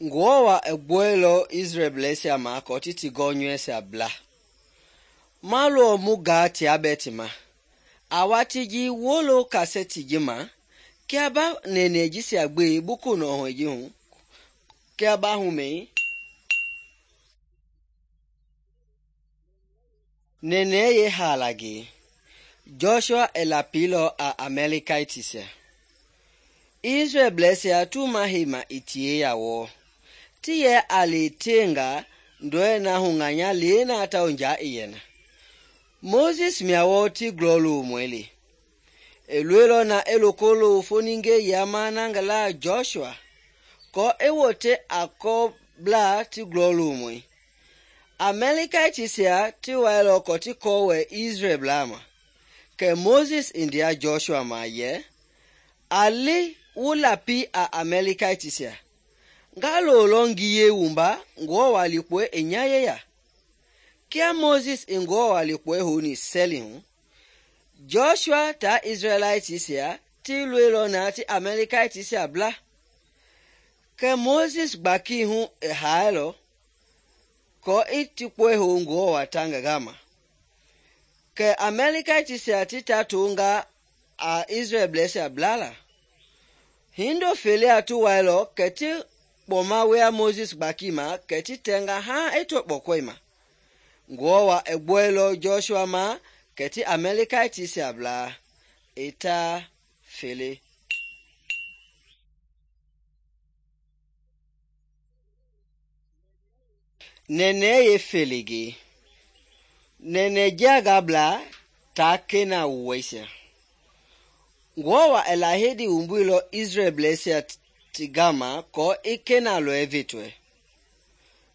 Ngɔwa e gbuɛilɔ Israelbleisia ma kɔ ti ti gɔnyɔuisia bla. Ma lɔ mu gaa tia bɛ ti ma. A watii ji wolo kasɛti ji ma kia ba nɛnɛɛ jisia gbe buku nɔhɔi ji hu kia ba humɛi. Nɛnɛɛ ye haala ge. Joshua e lapilɔ a Amalekitisia. Israelbleisia tu ma heima i tie ya wɔ. Ti yɛ a le tenga ndɔɛ na hu ŋanya le na tau nja i yɛ na. Moses mia wɔ ti glɔlomɔi le. E loilɔ na e loko lo foninge yama na ngi la Joshua kɔ e wote a kɔbla ti glɔlomɔi. Amalekitisia ti wailɔ kɔ ti kɔwɛ Israel blaa ma. Kɛ Moses i ndea Joshua ma yɛ, a li wu lapi a Amalekitisia. Nga lolɔ ngiye wumba Ngɔwa likpɔɛ i nya yeya. Kia Moses i Ngɔwa likpɔɛ houni sɛli hu, Joshua ta Israelitisia ti loilɔ na ti Amalekitisia bla. Kɛ Moses gbaki hu i haailɔ kɔ i tikpɔɛ ho Ngɔwa ta ngi gama. Kɛ Amalekitisia ti ta tonga a Israelbleisia bla la. Hindo felea ti wailɔ kɛ ti kpɔma wea Moses gbaki ma kɛ ti tɛnga haa i to kpɔkɔi ma. Ngɔwa e gbuɛilɔ Joshua ma kɛ ti Amalekitisia bla i ta fele. Nɛnɛɛ ye fele ge. Nɛnɛɛ jaga bla ta kena wuwɛisia. Ngɔwa e lahedi wumbuilɔ Israelbleisia ti gama kɔ i kena lɔɛ vetɔɛ.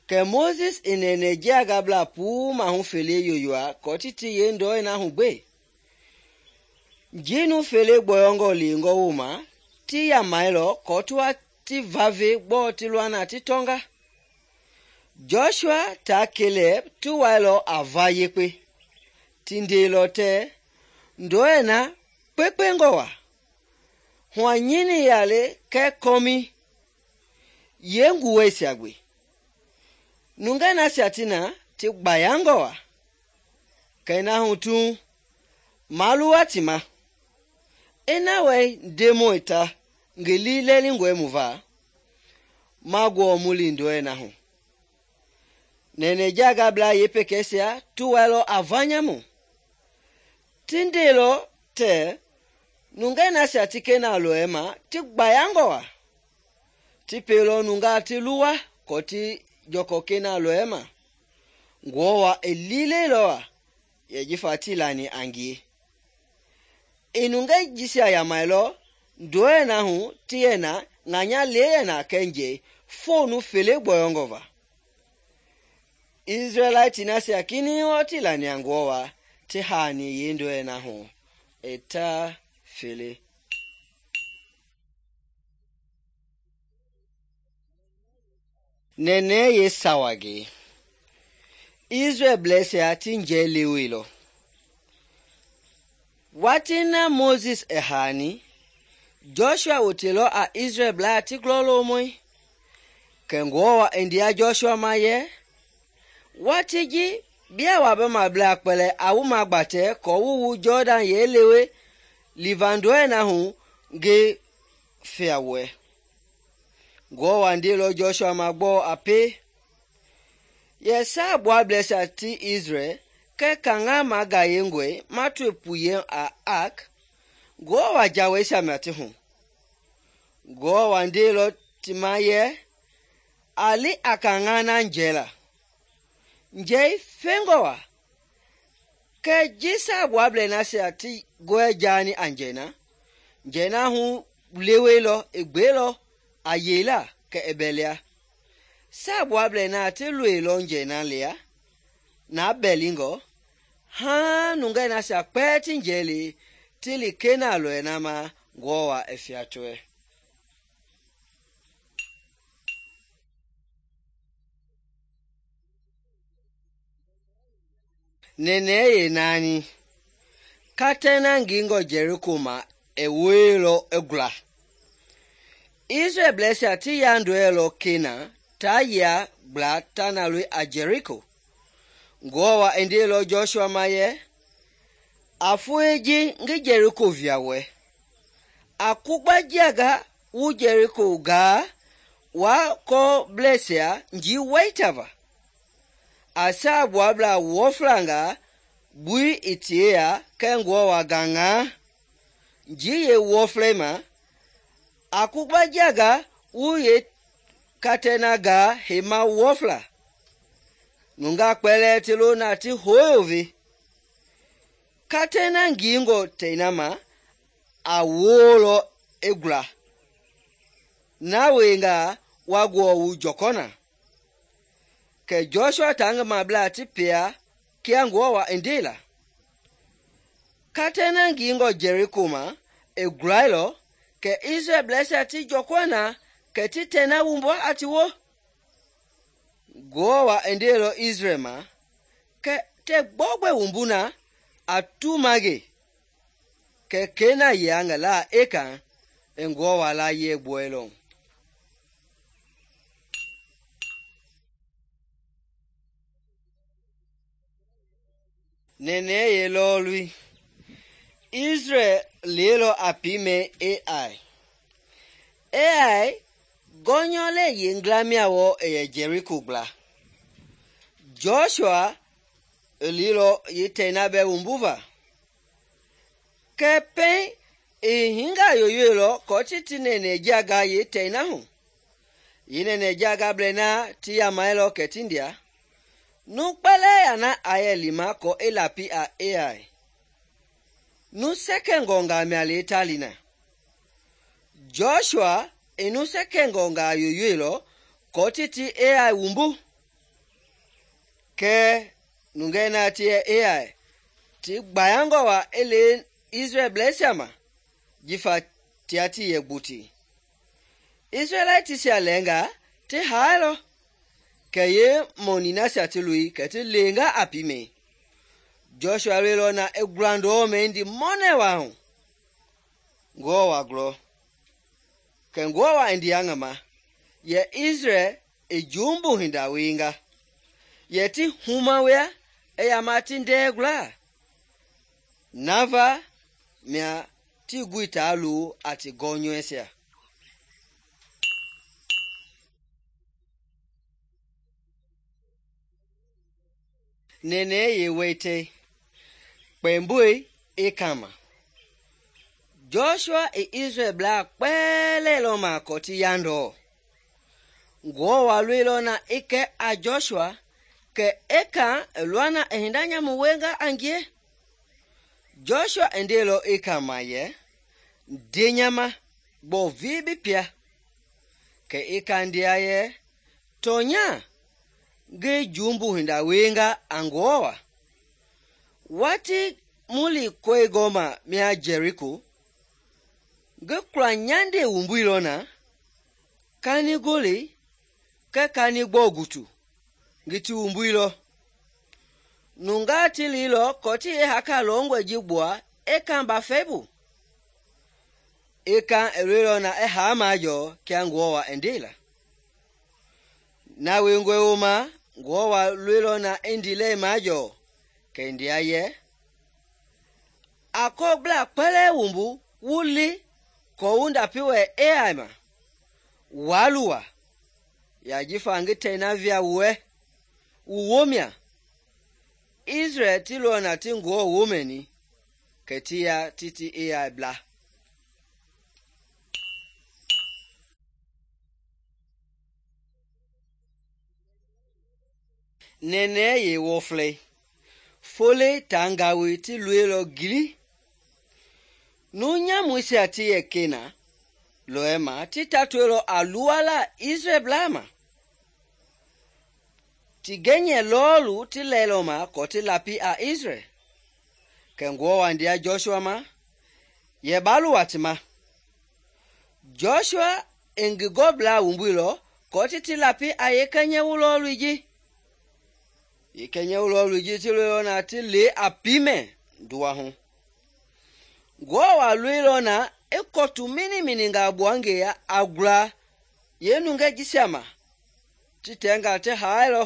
Kɛ Moses i nɛnɛɛ jaga bla puu mahu fele yoyoa kɔ ti ti ye ndɔɛ na hu gbe. Jinu fele gbɔyɔngɔ leengɔ woma ti yamailɔ kɔ tuwa ti vave gbɔ ti luana ti tɔnga. Joshua ta Caleb ti wailɔ a va yekpe. Ti ndeelɔ tɛ ndɔɛ na kpekpengɔ wa. Hua nyini yale kɛ kɔmi ye nguwɛisia gbe. Nunga nasia ti na ti gbayangɔ wa. Kɛ na hu tu maluwa ti ma. Ena wɛ ndemɔi ta ngi li lɛlingɔɛ mu va. Ma guɔ muli ndɔɛ na hu. Nɛnɛɛ jaga bla ye pekɛsia tu wailɔ a vanyamu. Ti ndeelɔ tɛ nunga nasia ti kena lɔɛ ma ti gbayangɔ wa. Ti pelɔ nunga ti luwa kɔ ti jɔkɔ kena lɔɛ ma. Ngɔwa e lileilɔ wa yɛ jifa ti lani a ngie. I nunga jisia yamailɔ ndɔɛ na hu ti yɛ na ŋanya le yɛ na kɛnjɛ fonu fele gbɔyɔngɔ va. Israelite nasia kini wɔ ti lani a Ngɔwa ti haani ye ndɔɛ na hu e ta fele. Nɛnɛɛ ye sawa ge. Israelbleisia ti njɛ leweilɔ. Wati na Moses e haani, Joshua wotelɔ a Israel blaa ti glɔlomɔi. Kɛ Ngɔwa e ndea Joshua ma yɛ, wati ji bia wa be ma bla kpɛlɛ a wu ma gbatɛ kɔ wu wu Jordan ye lewe livandɔɛ na hu ge fia wɛ. Ngɔwa ndeelɔ Joshua ma gbɔ a pe. Yɛ saa buablɛsia ti Israel kɛ kaŋa ma gayengɔe ma tue puye a Ark. Ngɔwa jawɛisia mia ti hu. Ngɔwa ndeelɔ ti ma yɛ, a li a kaŋa na njɛ la. Njɛi fengɔ wa. Kɛ ji saa buablɛ nasia ti gɔɛ jaani a njɛ na. Njɛ na hu leweilɔ e gbeelɔ a yeila kɛ e bɛlia. Saa buablɛ na ti loilɔ njɛ na lia na bɛlingɔ. Haa nunga nasia kpɛɛ ti njɛ le ti li kena lɔɛ na ma Ngɔwa e fiatuɛ. Nɛnɛɛ ye naani. Katɛna ngingɔ Jericho ma e weilɔ e gula. Israelbleisia ti yandɔɛlɔ Kena ta yia gbla ta na loi a Jericho. Ngewɔ wa i ndeilɔ Joshua ma yɛ, a foe ji ngi Jericho via wɛ. A kugbajianga wu Jericho gaa wa kɔblɛisia njii waitava. A saagbuablaa wɔflangaa bui i tie ya kɛ Ngewɔ wa gaŋaa njii yeewɔflei ma. A kugbajianga wu yeekatɛ na gaa heima wɔfla. Nungaa kpɛlɛɛ ti lo na ti hoyove. Katɛ na ngiingɔ tei na ma a woolɔ i gula. Na wiengaa wa guɔ wu jɔkɔ na. Kɛ Joshua taa ngi mablaa ti pia kia Ngewɔ wa i ndeila. Katɛ na ngiingɔ Jericho ma i gulailɔ kɛ Israɛlbleisia ti jɔkɔ na kɛ ti tɛ na wumbua a ti wo. Ngewɔ wa i ndeilɔ Israɛl ma kɛ tɛ gbɔgbɛ wumbu na a tu mage kɛ kei na yia ngi laa Ekan i Ngewɔ wa layie gbuɛilɔ. Nɛnɛɛ yelɔɔlui Israɛl leilɔ a piimɛ Ai. Ai gɔnyɔlɛ yenglamiya wɔ i yɛ Jericho gbla. Joshua i leilɔ yetɛi na bɛ wumbuva. Kɛ pɛŋ i hinga yoyoilɔ kɔ ti nɛnɛ jiaga yetɛi na hu. Yi nɛnɛ jiaga blɛ na ti yamailɔ kɛ ti ndia. Nu kpɛlɛɛ ya na a yɛ lima kɔ i lapi a Ai. Nu sɛkɛngɔngaa mia le ta li na. Joshua i nu sɛkɛngɔngaa yoyoilɔ kɔ ti Ai wumbu. Kɛ nungɛi na ti yɛ Ai ti gbayangɔ wa i le Israɛlbleisia ma jifa tia ti yɛ gbuti. Israɛlaitisia lɛnga ti haailɔ kɛ ye mɔni nasia ti loi kɛ ti lenga a piimɛ. Joshua leilɔ na i gulandɔɔ mɛndi mɔnɛ wa hu. Ngewɔ wa glɔ. Kɛ Ngewɔ wa i ndia ngi ma yɛ Israɛl i jumbu hinda wienga. Yɛ ti huma wea i yama ti ndɛɛ gulaa. Nava mia ti gui taa lo a ti gɔnyɔɛsia. Nɛnɛɛ yewɛitɛi kpɛmboi i kama. Joshua i Israɛlblaa kpɛlɛɛ lɔ ma kɔ ti yandɔɔ. Ngewɔ wa loilɔ na i kɛ a Joshua kɛ Ekan i lua na i hinda nyamu wienga a ngie. Joshua i ndeilɔ Ekan ma yɛ, nde nyama gbɔ vii bi pia. Kɛ Ekan ndia yɛ, tɔnya ngi jumbu hinda wienga a Ngewɔ wa. Wati muli kɔi gɔma mia Jericho ngi kula nyande wumbuilɔ na kani gole kɛ kani gbɔ gutu ngi ti wumbuilɔ. Nungaa ti liilɔ kɔ ti haka lɔngɔe ji gbua Ekan bafɛi bu. Ekan i loilɔ na i haa majɔɔ kia Ngewɔ wa i ndeila. Na wiengɔe wooma Ngewɔ wa loilɔ na i ndilɛi majɔɔ kɛ ndia yɛ, a kɔblaa kpɛlɛɛ wumbu wu li kɔ wu ndapi wɛ Ai ma. Waa luwa ya jifa ngi tɛi na via wuɛ wu womia. Israɛl ti lɔ na ti Ngewɔ womɛni kɛ ti ya titi Ai bla. Nɛnɛɛ yewɔflɛi fole tangawi ti loilɔ gili. Nu nyamuisia ti yɛ Kena lɔɛ ma ti tatoilɔ a luala Israɛlblaa ma. Ti gɛnyɛ lɔɔlu ti lɛilɔ ma kɔ ti lapi a Israɛl. Kɛ Ngewɔ wa ndia Joshua ma yɛ ba luwa ti ma. Joshua i ngi gɔblaa wumbuilɔ kɔ ti lapi a yekɛnyɛ wulɔɔlui ji. Yekɛnyɛ wulɔɔlui ji ti loilɔ na ti le a piimɛ nduwa hu. Ngewɔ wa loilɔ na i kɔtu mini nga buangeya a gula ye nungɛ jisia ma ti tɛnga ti haailɔ.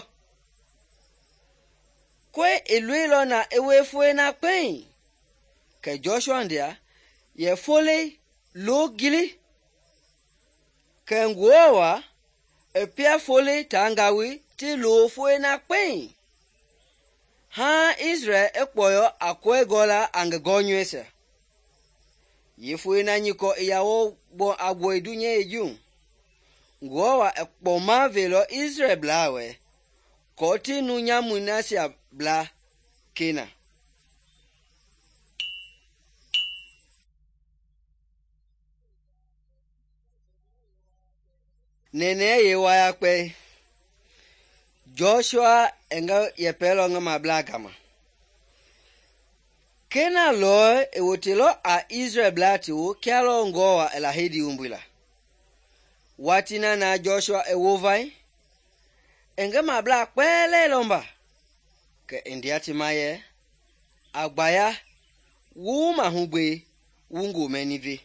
Koe i loilɔ na i wie foe na kpɛiŋ, kɛ Joshua ndia yɛ folei loo gili. Kɛ Ngewɔ wa i pia folei taa ngawoi ti loo foe na kpɛiŋ, haaŋ Israɛl i kpɔyɔ a kɔi gɔla a ngi gɔnyɔuisia. Yeefoei na nyikɔ i yawo a gbɔi dunyei juu, Ngewɔ wa i kpɔma veilɔ Israɛlblaa wɛ kɔɔ ti nu nyamui nasia bla Kena. Nɛnɛɛ yeewayakpɛi, Joshua i ngi yɛpɛlɔ ngi mablaa gama. Kena lɔi i wotelɔ a Israɛlblaa ti woo kia lɔ Ngewɔ wa i lahedi wumbuila. Watii na Joshua i wovai, i ngi mablaa kpɛlɛɛ lɔmba, kɛ i ndea ti ma yɛ, a gbaya wu wu mahugbe wu ngomɛni ve.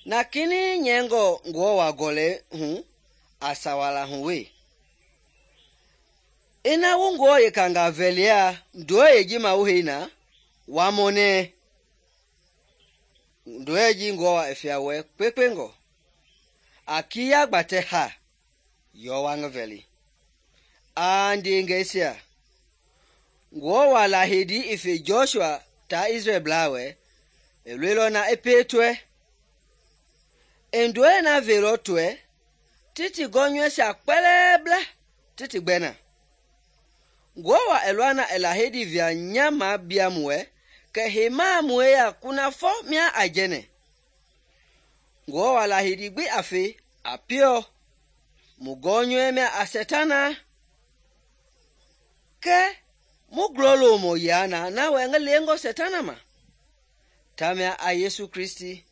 Na kinɛiŋ nyɛingɔ Ngewɔ wa gɔlɛi hu a sawala hu wee. Ina wu Ngewɔ yekanga vɛlia ndɔi ji ma wu hei na, wa mɔnɛɛ. Ndɔi ji Ngewɔ wa i fia wɛ kpekpengɔ. A kiya gbatɛ ha yɔ wa ngi vɛli. A ndeengɛisia, Ngewɔ wa lahedi i fe Joshua taa Israɛlblaa wɛ, i loilɔ na i pie tɔɛ. I ndɔi na veilɔ tɔɛ ti ti gɔnyɔuisia kpɛlɛɛ bla ti ti gbɛ na. Ngewɔ wa i lɔa na i lahedi via nya ma bia mu wɛ, kɛ heima mu yeya kunafɔ mia a jɛnɛ. Ngewɔ wa lahedi gbi a fe a piɔ, mu gɔnyɔi mia a Sɛtana. Kɛ mu glɔlomɔ yaa na wɛ ngi leengɔ Sɛtana ma. Tamia a Yesu Kristi.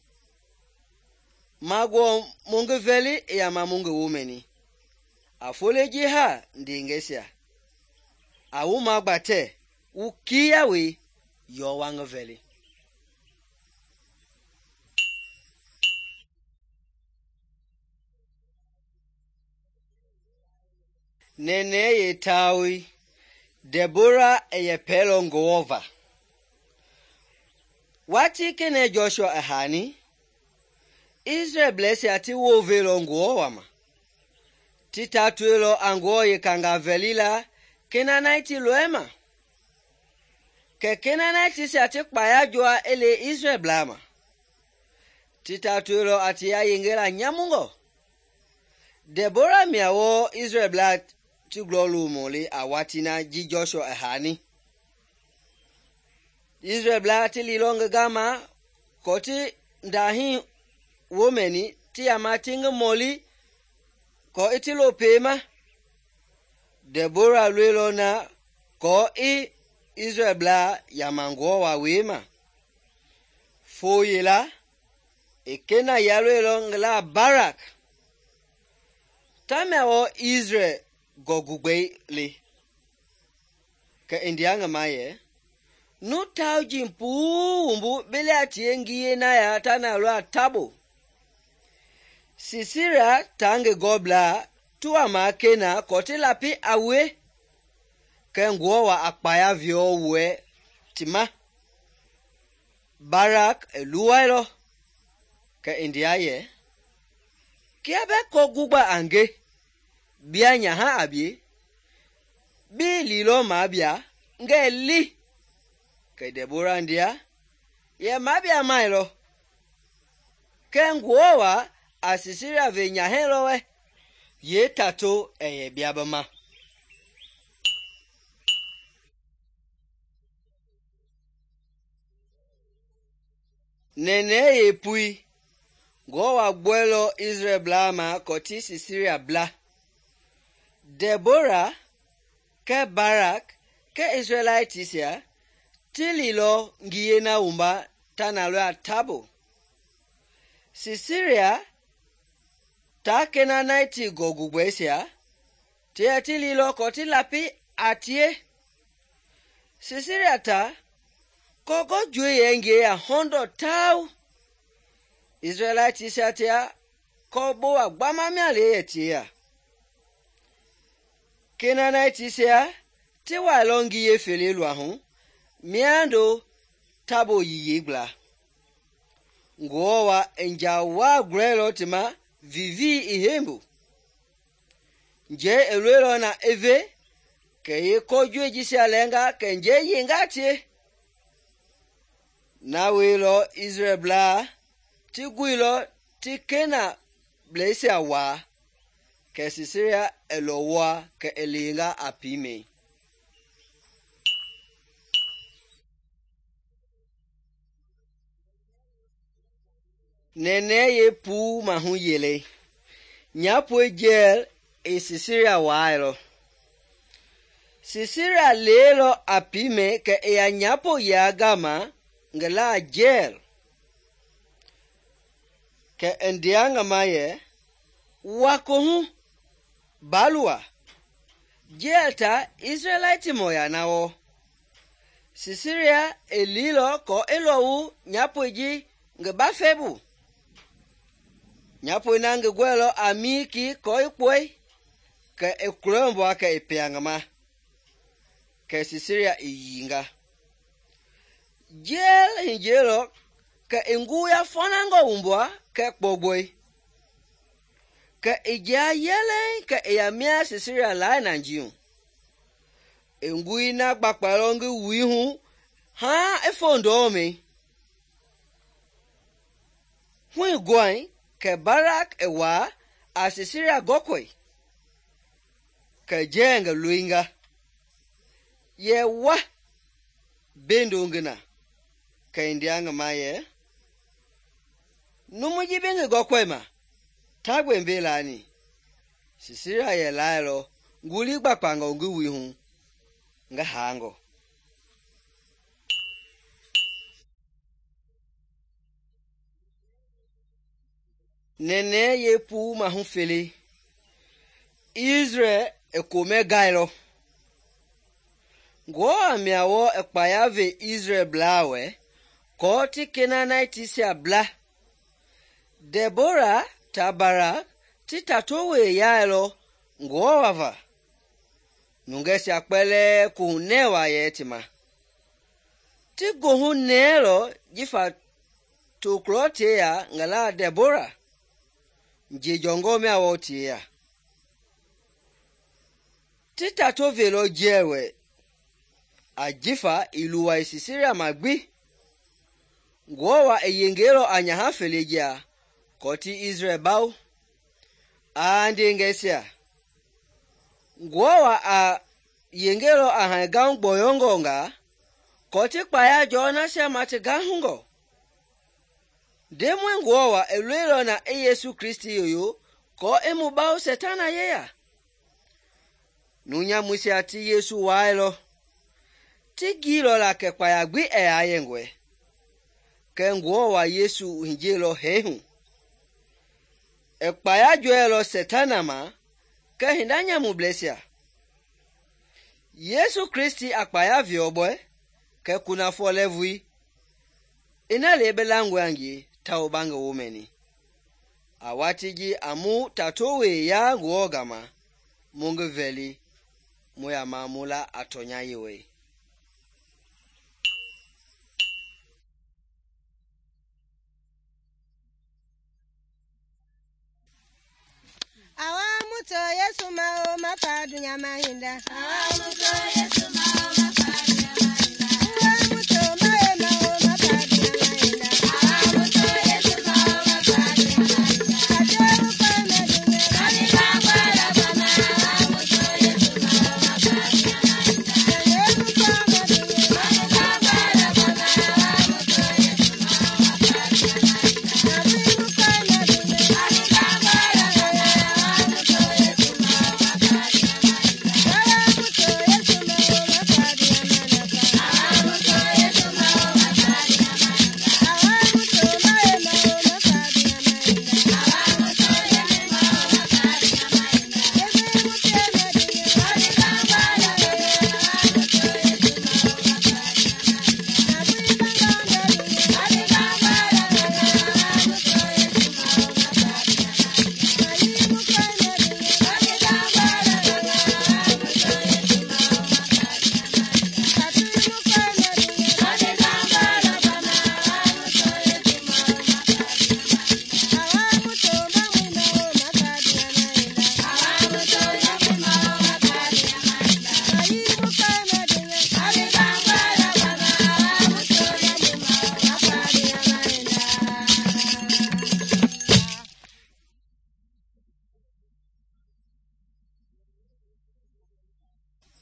Ma gbɔ mu ngi vɛli i yama mu ngi womɛni. A folei ji ha ndeengɛisia, a wu magbatɛ wu kiya wei yɔ wa ngi vɛli. Nɛnɛɛ yeetaoi, Debora i yɛpɛlɔ Ngewɔ va. Watii kenɛ Joshua i haani, Israɛlblɛisia ti woveilɔ Ngewɔ wa ma. Ti tatoilɔ a Ngewɔ yekanga vɛli la Kenanaiti lɔi ma. Kɛ Kenanaitisia ti kpaya jɔa i le Israɛlblaa ma. Ti tatoilɔ a ti yayengela nyamungɔ. Debora mia wɔ Israɛlblaa ti glɔlomɔ le a watii na ji Joshua i haani. Israɛlblaa ti lilɔ ngi gama kɔɔ ti ndahii womɛni ti yama ti ngi mɔli kɔɔ i ti lo peema. Debora loilɔ na kɔɔ i Israɛlblaa yama Ngewɔ wa wei ma. Foo yela, i Kena ya loilɔ ngi la Barak. Tamia wɔ Israɛl gɔgugbɛi le. Kɛ i ndea ngi ma yɛ, nu tauji puu wumbu bele a tie ngiye na ya ta na lɔ a tabo. Sisera taa ngi gɔblaa ti wa ma Kena kɔɔ ti lapi a wue. Kɛ Ngewɔ wa a kpaya viɔ wuɛ ti ma. Barak i luwailɔ, kɛ i ndea yɛ, kia bɛ kɔ gugba a nge, bia nyaha a bie, bi lilɔ ma bia, ngɛ li. Kɛ Debora ndea yɛ ma bia mailɔ. Kɛ Ngewɔ wa a Sisera ve nyahɛi lɔ wɛ, yee tato i yɛ bia bi ma. Nɛnɛɛ yeepui, Ngewɔ wa gbɔilɔ Israɛlblaa ma kɔɔ ti Sisera bla. Debora kɛ Barak kɛ Israɛlaitisia ti lilɔ ngiye na wumba ta na lɔ a tabo. Sisera taa Kenanaiti gɔgugbɛisia ti yɛ ti lilɔ kɔɔ ti lapi a tie. Sisera ta kɔgɔ jue yɛ ngie ya 100 tau. Israɛlaitisia tia kɔ bo wa gbama mia le yɛ tie ya. Kenaanitisia ti wailɔ ngiye fele luahu miando tabo yiyei gbla. Ngewɔ wa i nja waa gulɛilɔ ti ma vivii i heimbu. Njɛi i loilɔ na i ve kɛ yeekɔjɔi jisia lɛnga kɛ njɛi yenga tie. Na weilɔ Israelblaa ti guilɔ ti Kenaanbleisia waa, kɛ Sisera i lɔwɔa kɛ i leenga a piimɛi. Nɛnɛɛ yeepuu mahu yelei. Nyapoi Jael i Sisera waailɔ. Sisera leelɔ a piimɛi kɛ i ya nyapo yia gama ngi laa Jael. Kɛ i ndea ngi ma yɛ, wa kohu, baa luwa, Jael ta Israɛlitimɔ ya na wɔ. Sisera i liilɔ kɔɔ i lɔwu nyapoi ji ngi bafɛi bu. Nyapoi na ngi gɔɛilɔ a miiki kɔɔ i kpɔi, kɛ i kulɔimbua kɛ i pia ngi ma. Kɛ Sisera i yiinga. Jael hijielɔ kɛ i nguya fɔnangɔ wumbua kɛ kpɔgbɔi. Kɛ i jia yɛlɛŋ kɛ i ya mia Sisera lai na njiihu. I ngui na gbakpailɔ ngi wui hu haa i fo ndɔmɛi. Hui gɔi kɛ Barak i waa a Sisera gɔkɔi. Kɛ Jael ngi loinga. Yɛ wa, bendo ngi na. Kɛ i ndea ngi ma yɛ, numu ji bi ngi gɔkɔi ma, ta gbembe laani. Sisera yɛ laailɔ nguli gbakpangɔ ngi wui hu ngi haangɔ. Nɛnɛɛ yeepuu mahu fele. Israel i komɛ gailɔ. Ngewɔ mia wɔ i kpaya ve Israelblaa wɛ kɔɔ ti Kenaanitisia bla. Debora ta Barak ti tato wee yailɔ Ngewɔ wava. Nungɛisia kpɛlɛɛ kohunɛ waa yɛ ti ma. Ti gohu nɛɛlɔ jifa tokulɔ tie ya ngi laa Debora. Njejɔngɔ mia wɔ tie ya. Ti tato velɔ Jael wɛ, ajifa i luwa i Sisera ma gbi. Ngewɔ wa i yengelɔ a nyaha fele jia kɔɔ ti Israel bawo. A ndengɛisia, Ngewɔ wa a yengelɔ a haingahu gbɔyɔngɔ nga kɔɔ ti kpaya jɔɔ nasia ma ti gahungɔ. Ndemɔi Ngewɔ wa i loilɔ na i Yesu Kristi yoyo kɔɔ i mu bawo Sɛtana yeya. Nunyamuisia ti Yesu waailɔ. Ti giilɔ la kɛ kpaya gbi ɛ yaa yɛngɔɛ. Kɛ Ngewɔ wa Yesu hijielɔ hɛɛ hu. I kpaya jɔɛlɔ Sɛtana ma kɛ hinda nyamublɛisia. Yesu Kristi a kpaya viɔbɔɛ kɛ kunafɔ lɛɛvui. Ina le bi langɔe a ngie tawo ba ngi wo mɛni. A waati ji a mu tato wee yaa Ngewɔ gama, mu ngi vɛli mu ya ma mu la a tɔnya yewɔi. Awa muto Yesu mao mapadu nyama hinda. Awa muto Yesu mao mapadu nyama hinda. Awa muto mae mao mapadu nyama hinda. Awa muto Yesu mao mapadu nyama hinda. Ajabu kama dume kani kangwala bana. Awa muto Yesu mao mapadu nyama hinda. Ajabu kama dume kani kangwala bana. Awa muto Yesu mao mapadu nyama hinda. Ajabu kama dume kani kangwala bana. Awa muto Yesu mao mapadu nyama hinda. Awa muto Yesu mao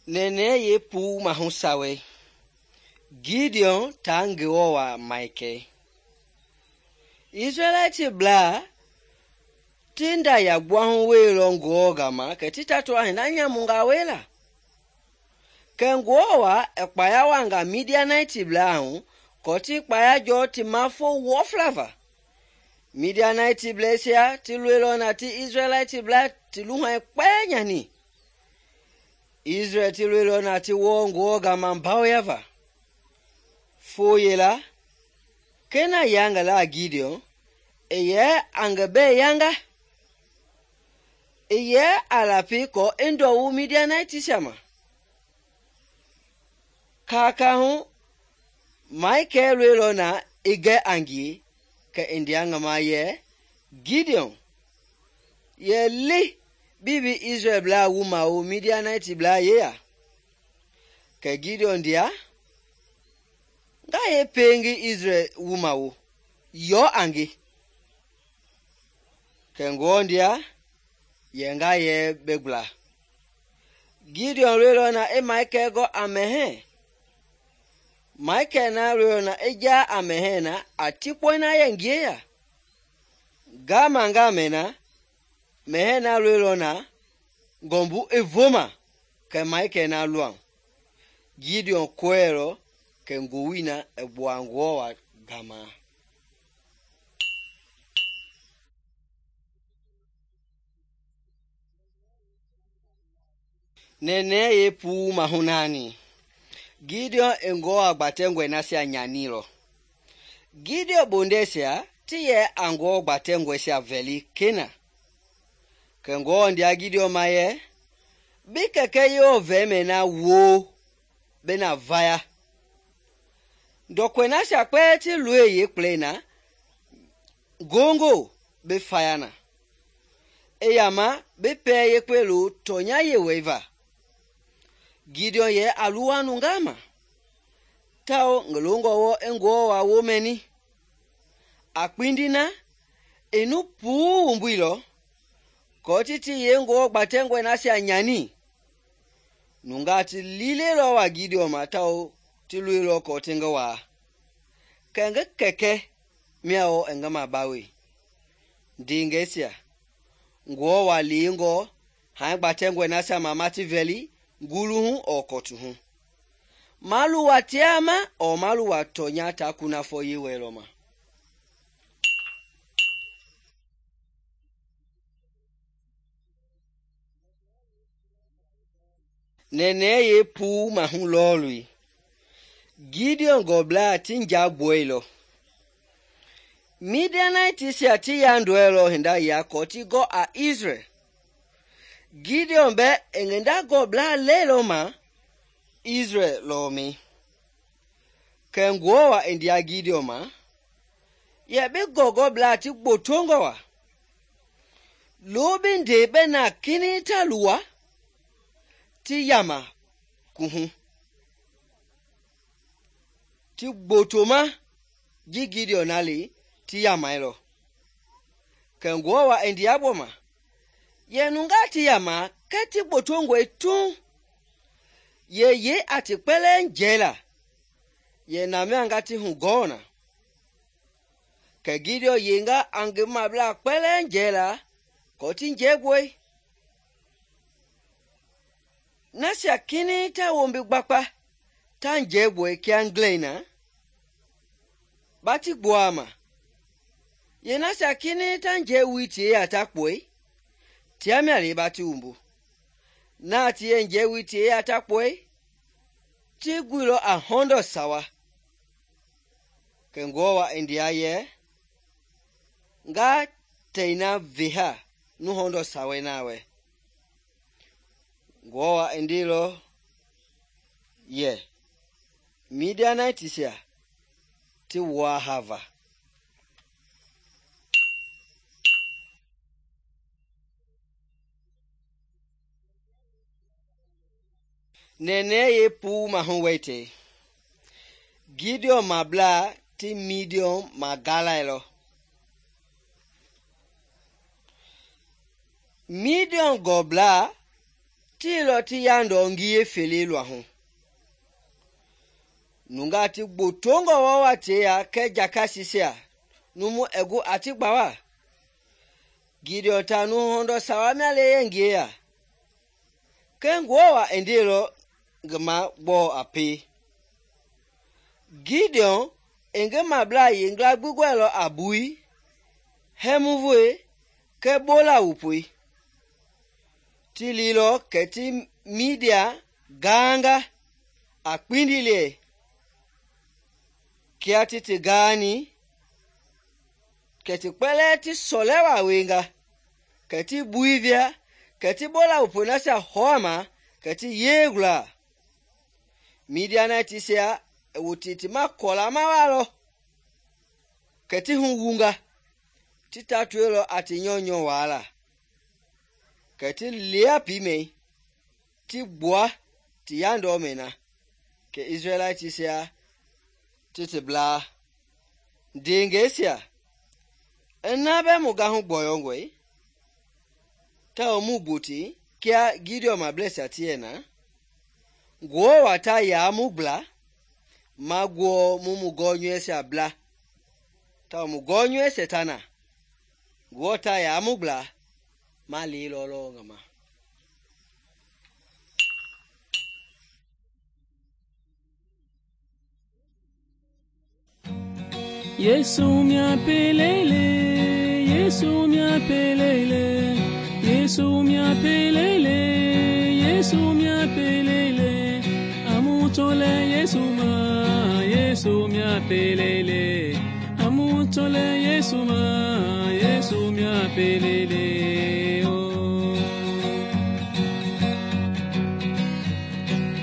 nene ye pu mahu sawe Gideon ta Ngewɔ wa maike. Israelite bla ti nda ya gbuahu weilɔ Ngewɔ gama kɛ ti tato hinda nyamunga wela. Kɛ Ngewɔ wa kpaya wanga Midianite bla hu kɔ ti kpaya jɔ ti mafo wɔflava. Midianite blasia ti luelɔ na ti Israelite bla ti luhai kpɛɛ nyani. Israel ti luelɔ na ti wɔ Ngewɔ gama baoyava. Fo yela kena yanga la Gideon eye angebe yanga eye alapi ko endo wu Midianite sama kaka hu Michael luelɔ na ige angi ke indianga ma ye Gideon ye li bibi Israel bla wu ma wu Midianite bla ye ya ke Gideon dia nga ye pengi Israel wu ma wu yo angi ke Ngewɔ ndia ye nga ye begbla. Gideon luelɔ na Michael go amehe. Michael na luelɔ na ja amehe na atikpɔ na ye ngie ya. Gama na mehe na luelɔ na gombu evoma ke Michael na luang. Gideon koelɔ ke ngowi na ebua Ngewɔ wa gama. Nene ye pu mahunani. Gideon Ngewɔ agbatengwe nasia nyanilɔ. Gideon bondesia ti ye Ngewɔ gbatengwe sia veli kena. Ke Ngewɔ ndia Gideon ma ye bi keke yo veme na wo bena vaya. Ndokwe nasia kpɛ ti lue ye kple na gongo be faya na. Eyama be pe ye kpelu tonya ye weva. Gideon ye aluwa nungama. Tao ngelongo wo Ngewɔ wa wo meni. Akpindina enu pu umbuilo ko titi ye Ngewɔ gbatengwe nasia nyani. Nunga ti lilelo wa Gideon ma tao ti luelɔ ko tinga wa. Kenge keke miao engama bawe. Dingesia Ngewɔ wa lingo ha gbatengwe nasia mama ti veli guluhu o kotuhu. Malu wa tiama o malu wa tonya ta kuna fo ye weloma. Nene ye pu mahu lolui. Gideon gobla tinja boilo. Midianite sia ti yanduelo hinda ya koti go a Israel. Gideon be engenda gobla lelo ma Israel lo mi. Ke Ngewɔ wa india Gideon ma ye be gobla ti botongo wa. Lobin de be na kini taluwa ti yama kuhu. Ti botoma gi Gideon ali ti yama elo. Ke Ngewɔ wa india boma ye nunga ti yama ke ti botongo etu. Ye ati kpele njela. Ye nami angati hungona. Ke Gideon yenga ange mabla kpele njela koti njegwe. Nasia kini ta wombi gbakpa ta njegwe kia nglena. Bati gbuama. Ye nasia kini ta njewi ti ya takwe. Tiami ali bati umbu. Na ti ye njewi ti ya takwe. Ti gwilo 100 sawa. Ke Ngewɔ wa india ye nga teina viha 100 sawa nawe. Ngewɔ wa indilo ye Midianite sia ti wa hava. Nene ye pu mahu wete. Gideon mabla ti Midian magala elo. Midian gobla tiilɔ ti yandɔ ngiye fele luahu. Nungaa ti gbotongɔ wɔwa teya kɛɛ jakasisia numu ɛgu ati gbawa. Gideon ta nu hɔndɔ sawa mia le yɛ ngie ya. Kɛ Ngewɔ wa i ndeilɔ ngi ma gbɔɔ a pie. Gideon i ngi mablaa yengla gbi gɔɛlɔ a bui, hɛmuvoe kɛɛ bola wupoi. Ti liilɔ kɛ ti Midia gaanga a kpindi lie. Kia ti gaani, kɛ ti kpɛlɛɛ ti sɔlɛwa wenga, kɛ ti bui via, kɛ ti bola wupoi nasia hɔɔma, kɛ ti yeegula. Midianitisia i wuti ti ma kɔlama walɔ, kɛ ti hu wunga, ti tatuelɔ a ti nyɔnyɔ waala. Kɛ ti lia piimɛi, ti gbua ti yandɔ mɛ na, kɛ Israelitisia ti blaa. Ndeengɛisia, ina bɛ mu gahu gbɔyɔngɔi, tawɔ mu gboti kia Gideon mablɛsia ti yɛ na. Ngewɔ wa ta yaa mu gbla, ma guɔ mu gɔnyɔɛsia bla. Tawɔ mu gɔnyɔɛsia ta na. Ngewɔ ta yaa mu gbla, ma liilɔ lɔ ngi ma. Yesu mia pelele, Yesu mia pelele, Yesu mia pelele, Yesu mia pelele, amutole Yesu ma, Yesu mia pelele, amutole Yesu ma, Yesu mia pelele. Oh.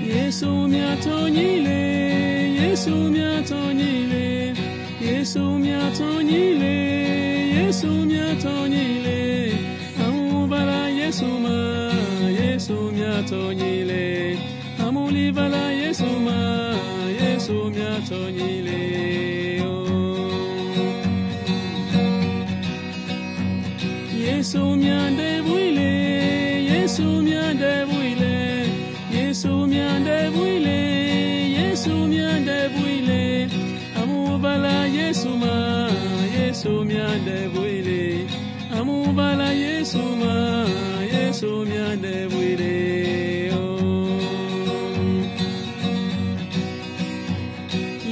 Yesu mia tonyile, Yesu mia tonyile. Yesu mia tonyile, Yesu mia tonyile, amubala Yesu ma, Yesu mia tonyile, amulibala Yesu ma, Yesu mia tonyile. Oh. Yesu mia debuile, Yesu mia debuile, Yesu mia debuile, Yesu mia debuile. Amubala Yesu ma, Yesu mia debuile. Amubala Yesu ma, Yesu mia debuile. Oh.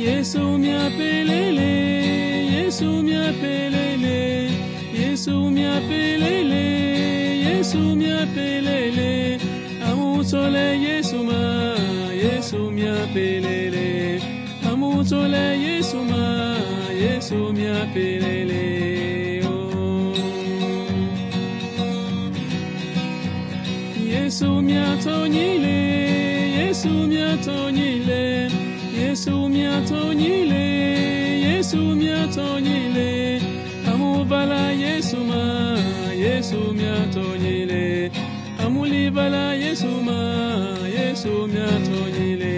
Yesu mia pelele, Yesu mia pelele, Yesu mia pelele, Yesu mia pelele. Amutole Yesu ma, Yesu mia pelele. Amutole Yesu ma, Yesu mia pelele. Oh. Yesu mia tonyile, Yesu mia tonyile, Yesu mia tonyile, Yesu mia tonyile. Amubala Yesu ma, Yesu mia tonyile. Amulibala Yesu ma, Yesu mia tonyile.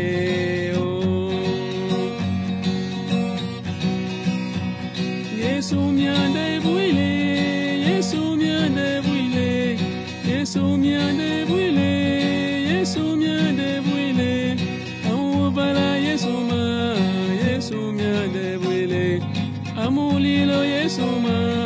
Yesu mia debuile, Yesu mia debuile, Yesu mia debuile, Yesu mia debuile. Amubala Yesu ma, Yesu mia debuile. Amulilo Yesu ma.